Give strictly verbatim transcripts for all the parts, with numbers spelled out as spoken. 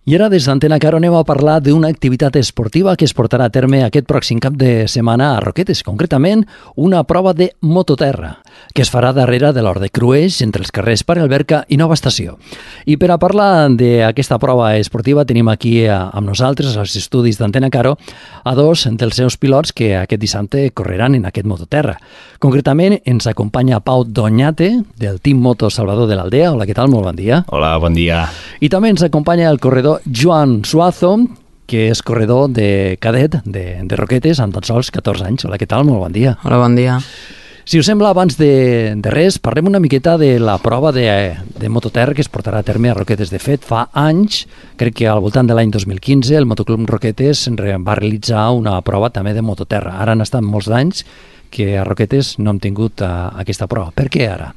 I ara des d'Antena Caro anem a parlar d'una activitat esportiva que es portarà a terme aquest pròxim cap de setmana a Roquetes, concretament una prova de mototerra, que es farà darrere de l'Hort de Cruells, entre els carrers Pare Alberca i Nova Estació. I per a parlar d'aquesta prova esportiva tenim aquí amb nosaltres, als estudis d'Antena Caro, a dos dels seus pilots que aquest dissabte correran en aquest mototerra. Concretament ens acompanya Pau Doñate, del Team Moto Salvador de l'Aldea. Hola, què tal? Molt bon dia. Hola, bon dia. I també ens acompanya el corredor Joan Suazo, que és corredor de cadet de, de Roquetes amb tan sols catorze anys. Hola, què tal? Molt bon dia. Hola, bon dia. Si us sembla, abans de, de res, parlem una miqueta de la prova de, de mototerra que es portarà a terme a Roquetes. De fet, fa anys, crec que al voltant de l'any dos mil quinze, el Motoclub Roquetes va realitzar una prova també de mototerra. Ara han estat molts anys que a Roquetes no hem tingut uh, aquesta prova. Per què ara?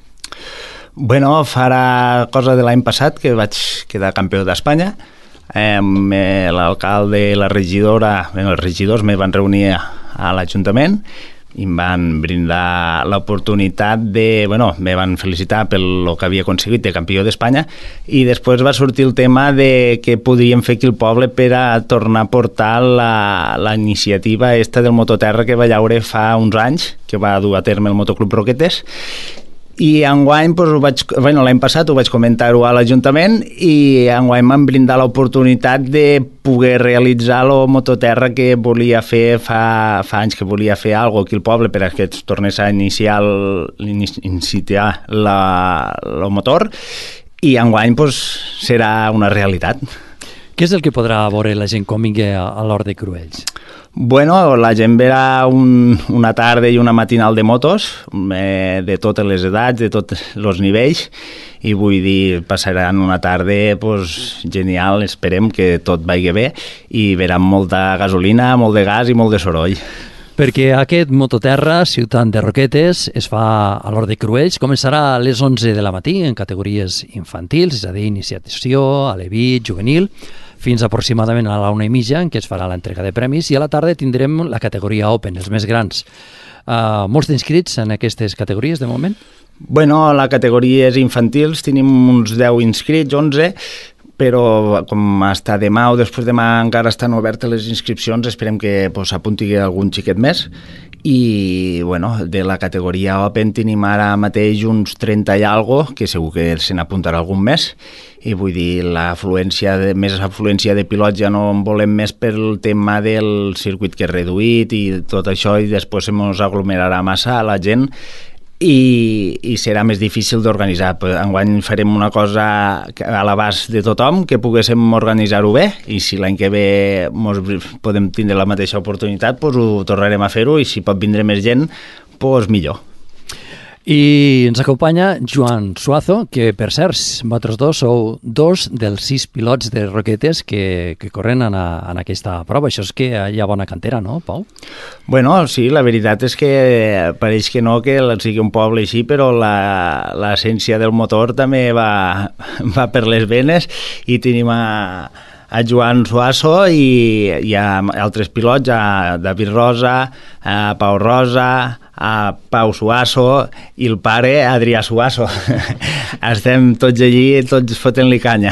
Bueno, farà cosa de l'any passat que vaig quedar campió d'Espanya. Eh, l'alcalde i la regidora, bé, els regidors me van reunir a l'Ajuntament i em van brindar l'oportunitat de, bueno, me van felicitar pel que havia aconseguit de campió d'Espanya i després va sortir el tema de què podríem fer aquí al poble per a tornar a portar la, la iniciativa esta del mototerra que va llaure fa uns anys, que va dur a terme el Motoclub Roquetes. I enguany, doncs, vaig, bueno, l'any passat ho vaig comentar-ho a l'Ajuntament i enguany m'han brindat l'oportunitat de poder realitzar el mototerra que volia fer fa, fa anys que volia fer alguna cosa aquí al poble per que es tornés a iniciar el, iniciar la, el motor i enguany doncs, serà una realitat. Què és el que podrà veure la gent quan vingui a, a l'Hort de Cruells? Bueno, la gent verà un, una tarda i una matinal de motos, eh, de totes les edats, de tots els nivells, i vull dir, passaran una tarda pues, genial, esperem que tot vagi bé, i veran molta gasolina, molt de gas i molt de soroll. Perquè aquest mototerra, Ciutat de Roquetes, es fa a l'Hort de Cruells, començarà a les onze de la matí en categories infantils, és a dir, iniciació, alevit, juvenil, fins aproximadament a la una i mitja, en què es farà l'entrega de premis, i a la tarda tindrem la categoria Open, els més grans. Uh, molts d'inscrits en aquestes categories, de moment? Bueno, la categoria és infantils, tenim uns deu inscrits, onze, però com està demà o després demà encara estan obertes les inscripcions, esperem que pues, s'apunti algun xiquet més. I bueno, de la categoria Open tenim ara mateix uns trenta i algo, que segur que se n'apuntarà algun més, i vull dir, l'afluència de, més afluència de pilots ja no en volem més pel tema del circuit que és reduït i tot això, i després se mos aglomerarà massa a la gent i, i serà més difícil d'organitzar. Enguany farem una cosa a l'abast de tothom, que poguéssim organitzar-ho bé, i si l'any que ve mos podem tindre la mateixa oportunitat, doncs ho tornarem a fer-ho, i si pot vindre més gent, doncs millor. I ens acompanya Joan Suazo, que per cert, vosaltres dos sou dos dels sis pilots de Roquetes que, que corren en, a, en aquesta prova. Això és que hi ha bona cantera, no, Pau? Bueno, sí, la veritat és que pareix que no, que sigui un poble així, però l'essència del motor també va, va per les venes, i tenim a, a Joan Suazo i hi ha altres pilots, a David Rosa, a Pau Rosa, a Pau Suazo i el pare Adrià Suazo. Estem tots allí, tots fotent-li canya.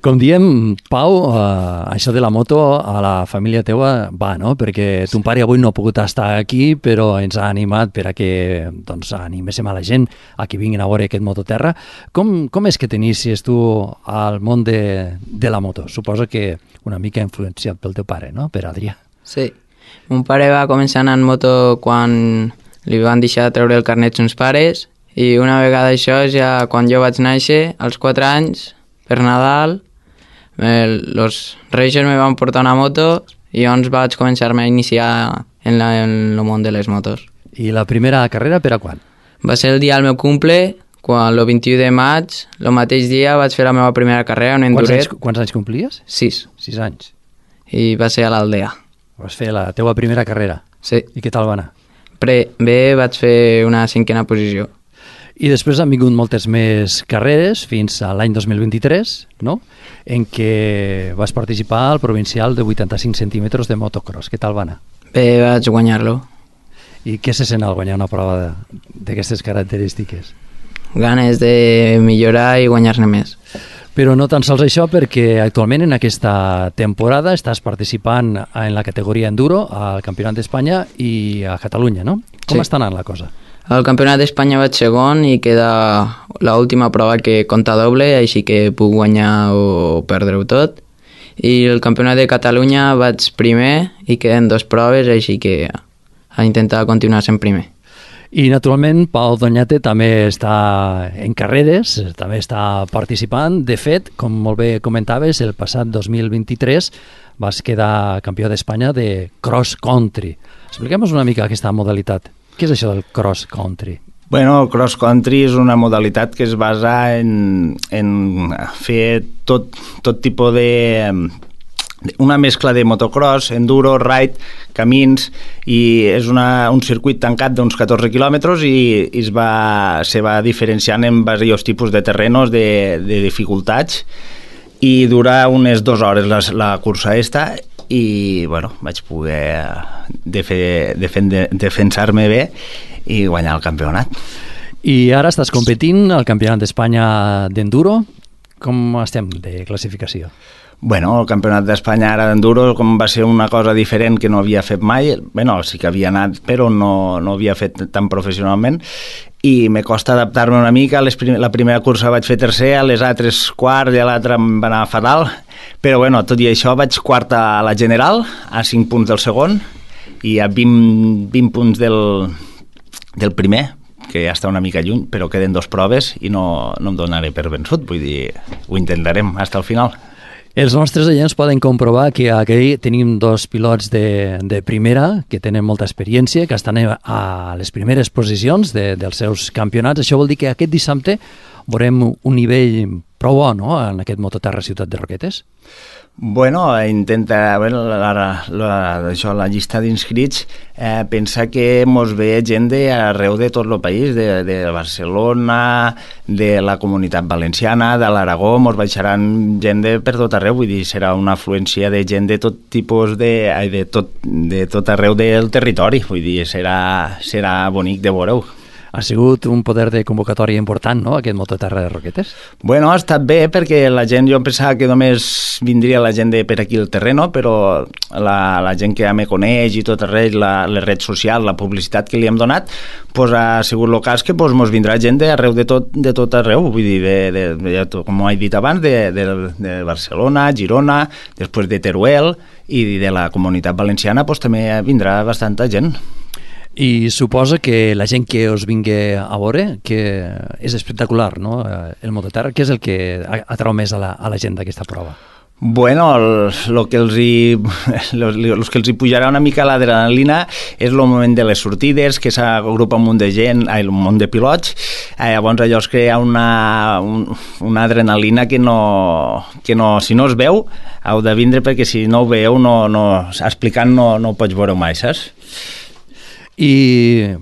Com diem, Pau, uh, això de la moto a la família teua va, no? Perquè ton pare avui no ha pogut estar aquí, però ens ha animat per a que doncs, animéssim a la gent a que vinguin a veure aquest mototerra. Com, com és que t'inicies tu al món de, de la moto? Suposo que una mica influenciat pel teu pare, no? Per Adrià. Sí. Mon pare va començar anant en moto quan li van deixar treure el carnet uns pares, i una vegada això, ja quan jo vaig néixer, als quatre anys, per Nadal, els Reis me van portar una moto i llavors vaig començar-me a iniciar en, la, en el món de les motos. I la primera carrera per a quan? Va ser el dia del meu cumple, quan el vint-i-u de maig, el mateix dia vaig fer la meva primera carrera, un enduret. Quants anys, quants anys complies? Sis. Sis anys. I va ser a l'Aldea. Vas fer la teua primera carrera? Sí. I què tal va anar? Pre, bé, vaig fer una cinquena posició. I després han vingut moltes més carreres fins a l'any dos mil vint-i-tres, no? En què vas participar al provincial de vuitanta-cinc centímetres de motocross. Què tal va anar? Bé, vaig guanyar-lo. I què se sent al guanyar una prova d'aquestes característiques? Ganes de millorar i guanyar-ne més. Però no tan sols això, perquè actualment en aquesta temporada estàs participant en la categoria enduro al Campionat d'Espanya i a Catalunya, no? Com Sí. està anant la cosa? Al Campionat d'Espanya vaig segon i queda l'última prova que compta doble, així que puc guanyar o perdre-ho tot. I el Campionat de Catalunya vaig primer i queden dues proves, així que a intentar continuar sent primer. I, naturalment, Pau Doñate també està en carreres, també està participant. De fet, com molt bé comentaves, el passat dos mil vint-i-tres vas quedar campió d'Espanya de cross country. Expliquem-nos una mica aquesta modalitat. Què és això del cross country? Bueno, el cross country és una modalitat que es basa en, en fer tot, tot tipus de... una mescla de motocross, enduro, ride, camins, i és una, un circuit tancat d'uns catorze quilòmetres i, i es va, se va diferenciant en diversos tipus de terrenos, de, de dificultats, i dura unes dues hores la, la cursa esta, i bueno, vaig poder defe, defende, defensar-me bé i guanyar el campionat. I ara estàs competint al Campionat d'Espanya d'enduro. Com estem de classificació? Bueno, el Campionat d'Espanya ara d'enduro, com va ser una cosa diferent que no havia fet mai, bueno, sí que havia anat, però no, no havia fet tan professionalment, i me costa adaptar-me una mica. Les prim la primera cursa vaig fer tercer, a les altres quart i a l'altra em va anar fatal, però bueno, tot i això vaig quart a la general, a cinc punts del segon, i a vint, vint punts del, del primer, que ja està una mica lluny, però queden dos proves i no, no em donaré per vençut, vull dir, ho intentarem fins al final. Els nostres oients poden comprovar que aquí tenim dos pilots de, de primera que tenen molta experiència, que estan a les primeres posicions de, dels seus campionats. Això vol dir que aquest dissabte veurem un nivell prou bo, no?, en aquest Mototerra Ciutat de Roquetes. Bueno, intenta, bueno, la, la, la, això, la llista d'inscrits eh, pensa que mos ve gent d'arreu de tot el país, de, de Barcelona, de la Comunitat Valenciana, de l'Aragó, mos baixaran gent de per tot arreu, vull dir, serà una afluència de gent de tot tipus de, de, tot, de tot arreu del territori, vull dir, serà, serà bonic de veure-ho. Ha sigut un poder de convocatòria important, no?, aquest Mototerra de Roquetes? Bueno, ha estat bé perquè la gent, jo em pensava que només vindria la gent de per aquí al terreno, però la, la gent que ja me coneix i tot arreu, la, les redes socials, la publicitat que li hem donat, pues ha sigut el cas que pues, mos vindrà gent d'arreu de tot, de tot arreu, vull dir, de, de, de, com he dit abans, de, de, de Barcelona, Girona, després de Teruel, i de la Comunitat Valenciana pues, també vindrà bastanta gent. I suposa que la gent que us vingui a veure, que és espectacular, no?, el Mototerra, què és el que atrau més a la, a la gent d'aquesta prova? Bueno, el, lo que els hi, los, los que els hi pujarà una mica l'adrenalina és el moment de les sortides, que s'agrupa un munt de gent, ai, un munt de pilots, eh, llavors allò es crea una, un, una adrenalina que no, que no, si no es veu, heu de vindre perquè si no ho veieu, no, no, explicant no, no ho pots veure mai, saps? I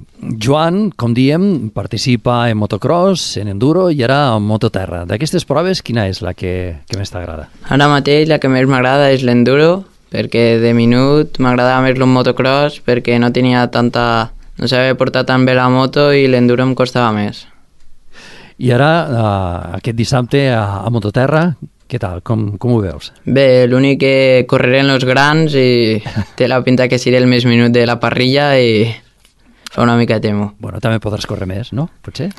Joan, com diem, participa en motocross, en enduro i ara en mototerra. D'aquestes proves, quina és la que, que més t'agrada? Ara mateix la que més m'agrada és l'enduro, perquè de minut m'agradava més el motocross perquè no tenia tanta... no sabia portar tan bé la moto i l'enduro em costava més. I ara, uh, aquest dissabte a, a mototerra, què tal? Com, com ho veus? Bé, l'únic que correré en los grans i té la pinta que seré el més minut de la parrilla i fa una mica temo. Bueno, també podràs córrer més, no? Potser?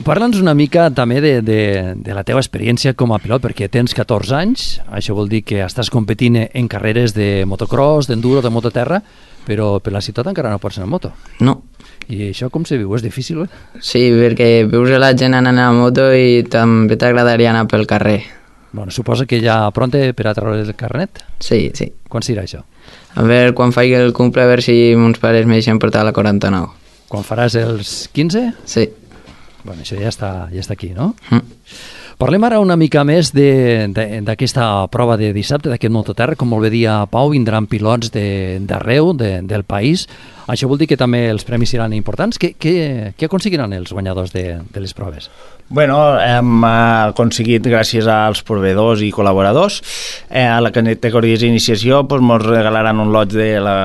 Parla'ns una mica també de, de, de la teva experiència com a pilot, perquè tens catorze anys, això vol dir que estàs competint en carreres de motocross, d'enduro, de mototerra, però per la ciutat encara no pots anar en moto. No. I això com se viu? És difícil, eh? Sí, perquè veus la gent anant a moto i també t'agradaria anar pel carrer. Bueno, suposa que ja pronte per a treure el carnet? Sí, sí. Quan serà això? A veure, quan faig el cumple, a veure si mons pares me deixen portar la quaranta-nou. Quan faràs els quinze? Sí. Bueno, això ja està, ja està aquí, no? Mm. Parlem ara una mica més d'aquesta prova de dissabte, d'aquest mototerra. Com molt bé dia Pau, vindran pilots d'arreu de, de, del país. Això vol dir que també els premis seran importants. Què, què, què aconseguiran els guanyadors de, de les proves? Bueno, hem aconseguit, gràcies als proveïdors i col·laboradors, eh, a la categoria d'iniciació pues, ens regalaran un lot de la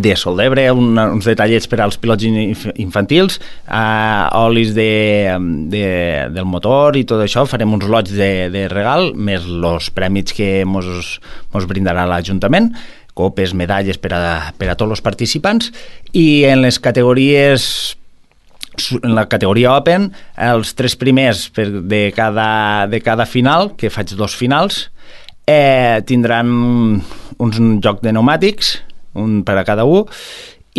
de sol d'Ebre, un, uns detallets per als pilots infantils, uh, olis de, de, del motor i tot això, farem uns lots de, de regal, més els prèmits que mos, mos brindarà l'Ajuntament, copes, medalles per a, per a tots els participants, i en les categories, en la categoria Open, els tres primers per de, cada, de cada final, que faig dos finals, eh, tindran un, un joc de pneumàtics, un per a cada un,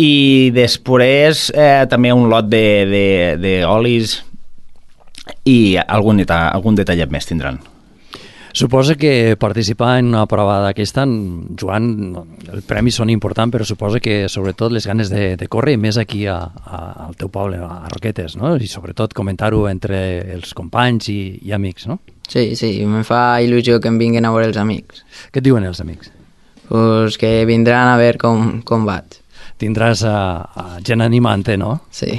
i després eh, també un lot d'olis i algun, deta algun detallet més tindran. Suposa que participar en una prova d'aquesta, Joan, els premis són importants, però suposa que sobretot les ganes de, de córrer, més aquí a, a, al teu poble, a Roquetes, no? I sobretot comentar-ho entre els companys i, i amics, no? Sí, sí, me fa il·lusió que em vinguin a veure els amics. Què et diuen els amics? Pues que vindran a veure com, com vaig. Tindràs a, a gent animant-te, no? Sí.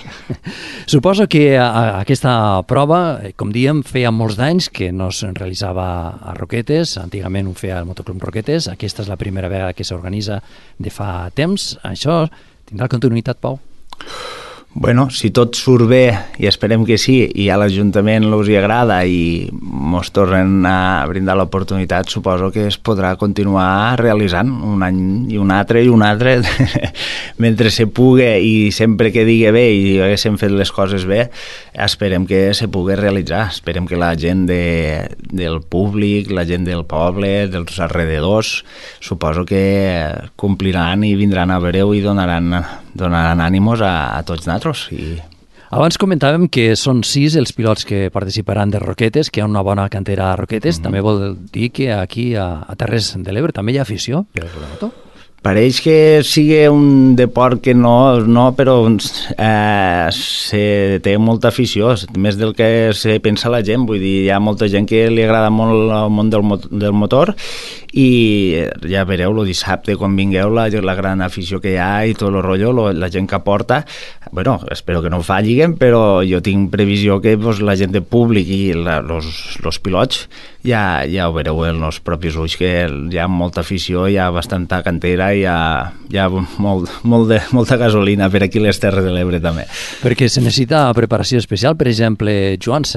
Suposo que a, a aquesta prova, com diem, feia molts d'anys que no es realitzava a Roquetes, antigament ho feia el Motoclub Roquetes, aquesta és la primera vegada que s'organitza de fa temps. Això tindrà continuïtat, Pau? Bueno, si tot surt bé, i esperem que sí, i a l'Ajuntament els hi agrada i mos tornen a brindar l'oportunitat, suposo que es podrà continuar realitzant un any i un altre i un altre, mentre se pugui i sempre que digui bé i haguéssim fet les coses bé, esperem que se pugui realitzar. Esperem que la gent de, del públic, la gent del poble, dels alrededors, suposo que compliran i vindran a veure-ho i donaran, donaran ànimos a, a tots nosaltres. I... Abans comentàvem que són sis els pilots que participaran de Roquetes, que hi ha una bona cantera a Roquetes. Mm-hmm. També vol dir que aquí a, a Terres de l'Ebre també hi ha afició per la moto? Pareix que sigui un deport que no, no però eh, se té molta afició, més del que se pensa la gent. Vull dir, hi ha molta gent que li agrada molt el món del, del motor i ja veureu el dissabte quan vingueu la, la gran afició que hi ha i tot el rotllo, lo, la gent que aporta. Bueno, espero que no fallin, però jo tinc previsió que pues, la gent de públic i els pilots ja, ja ho veureu en els propis ulls, que hi ha molta afició, hi ha bastanta cantera, hi ha, hi ha molt, molt de, molta gasolina per aquí les Terres de l'Ebre també. Perquè se necessita preparació especial. Per exemple, Joan,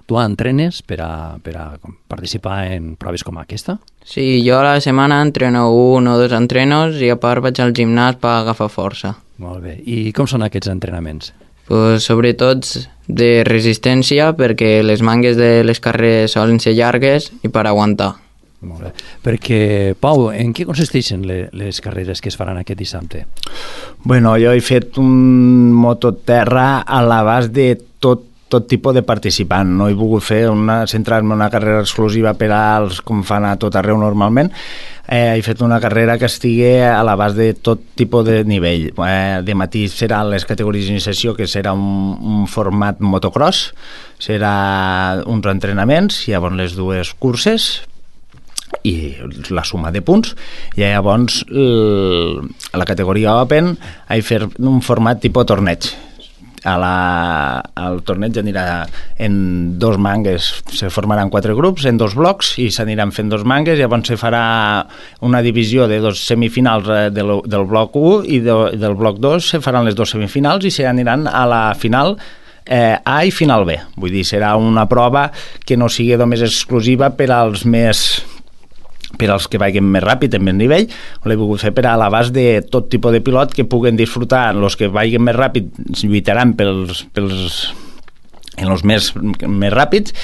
tu entrenes per a, per a participar en proves com aquesta? Sí, jo a la setmana entreno un o dos entrenos i a part vaig al gimnàs per agafar força. Molt bé. I com són aquests entrenaments? Pues, sobretot de resistència, perquè les mangues de les carreres solen ser llargues i per aguantar. Molt bé. Perquè, Pau, en què consisteixen les, les carreres que es faran aquest dissabte? Bueno, jo he fet un mototerra a l'abast de tot tot tipus de participant. No he volgut fer una, centrar-me en una carrera exclusiva per als com fan a tot arreu normalment. Eh, he fet una carrera que estigui a l'abast de tot tipus de nivell. Eh, de matí serà les categories d'iniciació, que serà un, un format motocross, serà uns entrenaments, llavors les dues curses i la suma de punts, i llavors l, a la categoria Open he fet un format tipus torneig. A la, el torneig anirà en dos mangues, se formaran quatre grups en dos blocs i s'aniran fent dos mangues, llavors se farà una divisió de dos semifinals del, del bloc u i de, del bloc dos se faran les dos semifinals i s'aniran a la final eh, A i final B. Vull dir, serà una prova que no sigui només exclusiva per als més per als que vagin més ràpid, en més nivell. L'he volgut fer per a l'abast de tot tipus de pilot que puguen disfrutar. Els que vagin més ràpid lluitaran pels, pels, en els més, més ràpids,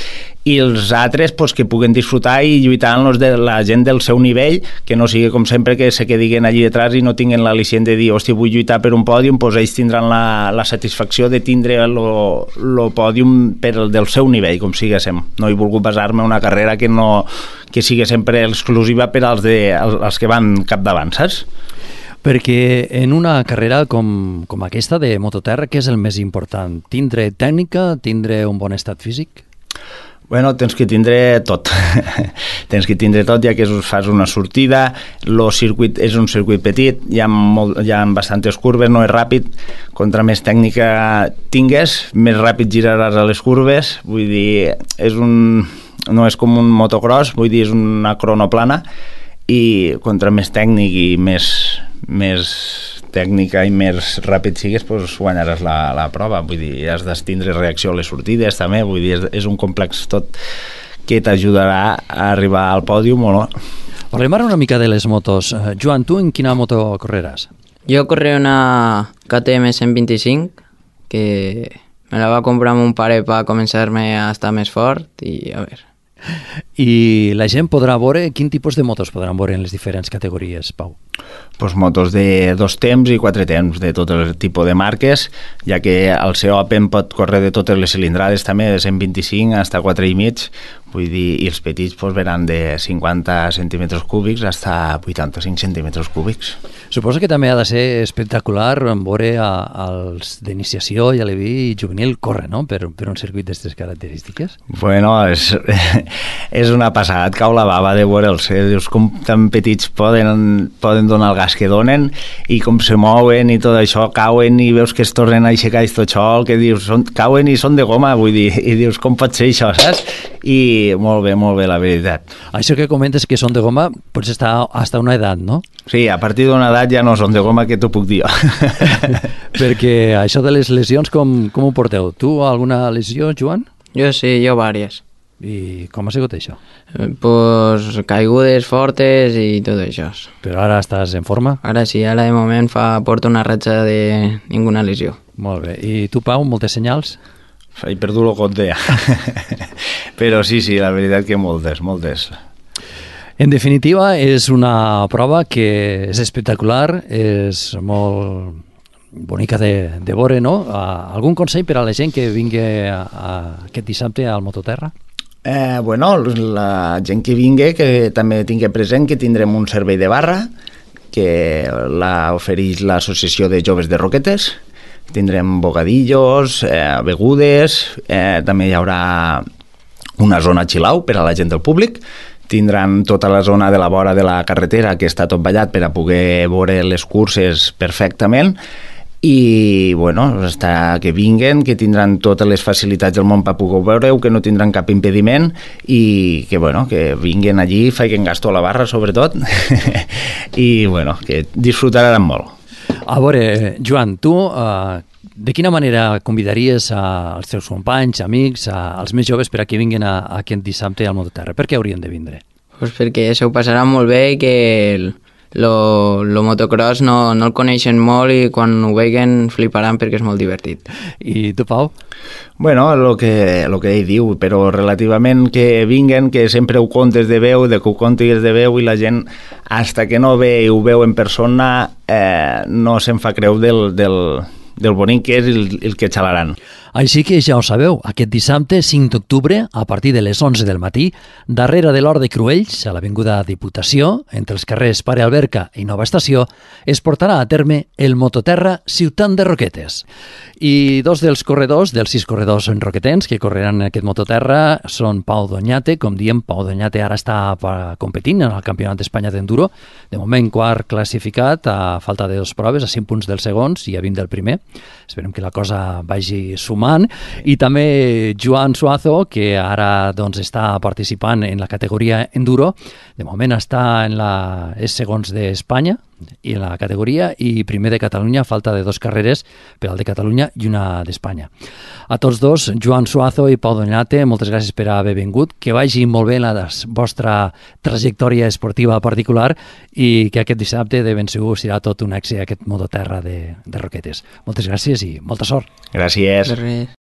i els altres pues, que puguen disfrutar i lluitar amb els de la gent del seu nivell, que no sigui com sempre que se quedin allí detrás i no tinguin l'al·licient de dir, hòstia, vull lluitar per un pòdium, doncs ells tindran la, la satisfacció de tindre el pòdium per el del seu nivell, com siguéssim. No he volgut basar-me en una carrera que no que sigui sempre exclusiva per als, de, als que van capdavant, saps? Perquè en una carrera com, com aquesta de mototerra, què és el més important? Tindre tècnica, tindre un bon estat físic? Bueno, tens que tindre tot. Tens que tindre tot, ja que fas una sortida, el circuit és un circuit petit, hi ha, molt, hi ha bastantes curves, no és ràpid. Contra més tècnica tingues, més ràpid giraràs a les curves. Vull dir, és un, no és com un motocross, vull dir, és una cronoplana, i contra més tècnic i més, més tècnica i més ràpid sigues, doncs guanyaràs la, la prova. Vull dir, has de tindre reacció a les sortides també, vull dir, és, és un complex tot que t'ajudarà a arribar al pòdium o no. Parlem ara una mica de les motos. Joan, tu en quina moto correràs? Jo correré una K T M cent vint-i-cinc, que me la va comprar mon pare per començar-me a estar més fort i a veure. I la gent podrà veure quin tipus de motos podran veure en les diferents categories, Pau? Pues motos de dos temps i quatre temps, de tot el tipus de marques, ja que el C Open pot córrer de totes les cilindrades també, de cent vint-i-cinc fins a quatre i mig, vull dir, i els petits pues, venen de cinquanta centímetres cúbics fins a vuitanta-cinc centímetres cúbics. Suposo que també ha de ser espectacular veure a, als d'iniciació i a l'E V I juvenil córrer, no?, per, per un circuit d'aquestes característiques. Bueno, és, és una passada, et cau la bava de veure'ls, eh? Dius com tan petits poden, poden donar el gas que donen i com se mouen i tot això, cauen i veus que es tornen a aixecar i tot això, que dius, són, cauen i són de goma, vull dir, i dius, com pot ser això, saps? I molt bé, molt bé, la veritat. Això que comentes que són de goma, pots estar hasta una edat, no? Sí, a partir d'una edat ja no són de goma, que t'ho puc dir jo. Perquè això de les lesions, com, com ho porteu? Tu alguna lesió, Joan? Jo sí, jo vàries. I com ha sigut això? Eh, pues caigudes fortes i tot això. Però ara estàs en forma? Ara sí, ara de moment fa, porto una ratxa de ninguna lesió. Molt bé. I tu, Pau, moltes senyals? He perdut el compte ja. Però sí, sí, la veritat que moltes, moltes. En definitiva, és una prova que és espectacular, és molt bonica de, de veure, no? Uh, algun consell per a la gent que vingui a, a aquest dissabte al Mototerra? Eh, bueno, la gent que vingui, que també tingui present que tindrem un servei de barra, que la ofereix l'Associació de Joves de Roquetes. Tindrem bocadillos, eh, begudes, eh, també hi haurà una zona chill-out per a la gent del públic. Tindran tota la zona de la vora de la carretera, que està tot ballat per a poder veure les curses perfectament. I, bueno, està, que vinguen, que tindran totes les facilitats del món per poder veure-ho, que no tindran cap impediment i que, bueno, que vinguen allí, facin gasto a la barra, sobretot, i, bueno, que disfrutaran molt. A veure, Joan, tu uh, de quina manera convidaries als teus companys, amics, a, als més joves per a que vinguin a, a aquest dissabte al Mototerra? Per què haurien de vindre? Pues perquè s'ho passaran molt bé i que el, lo, lo motocross no, no el coneixen molt i quan ho veguen fliparan perquè és molt divertit. I tu, Pau? Bueno, el que, lo que ell diu, però relativament que vinguen, que sempre ho contes de veu, de que ho contis de veu i la gent, hasta que no ve i ho veu en persona, eh, no se'n fa creu del, del, del bonic que és el, el que xalaran. Així que ja ho sabeu, aquest dissabte cinc d'octubre, a partir de les onze del matí, darrere de l'Hort de Cruells, a l'avinguda Diputació, entre els carrers Pare Alberca i Nova Estació, es portarà a terme el Mototerra Ciutat de Roquetes. I dos dels corredors, dels sis corredors roquetens que correran en aquest Mototerra, són Pau Doñate, com diem, Pau Doñate ara està competint en el Campionat d'Espanya d'Enduro, de moment quart classificat, a falta de dos proves, a cinc punts dels segons i a vint del primer. Esperem que la cosa vagi sumant. I també Joan Suazo, que ara doncs, està participant en la categoria Enduro. De moment està en la... és segons d'Espanya i en la categoria i primer de Catalunya, falta de dos carreres per al de Catalunya i una d'Espanya. A tots dos, Joan Suazo i Pau Doñate, moltes gràcies per haver vingut, que vagi molt bé la vostra trajectòria esportiva particular i que aquest dissabte de ben segur serà tot un èxit aquest Mototerra de, de Roquetes. Moltes gràcies i molta sort. Gràcies. De res.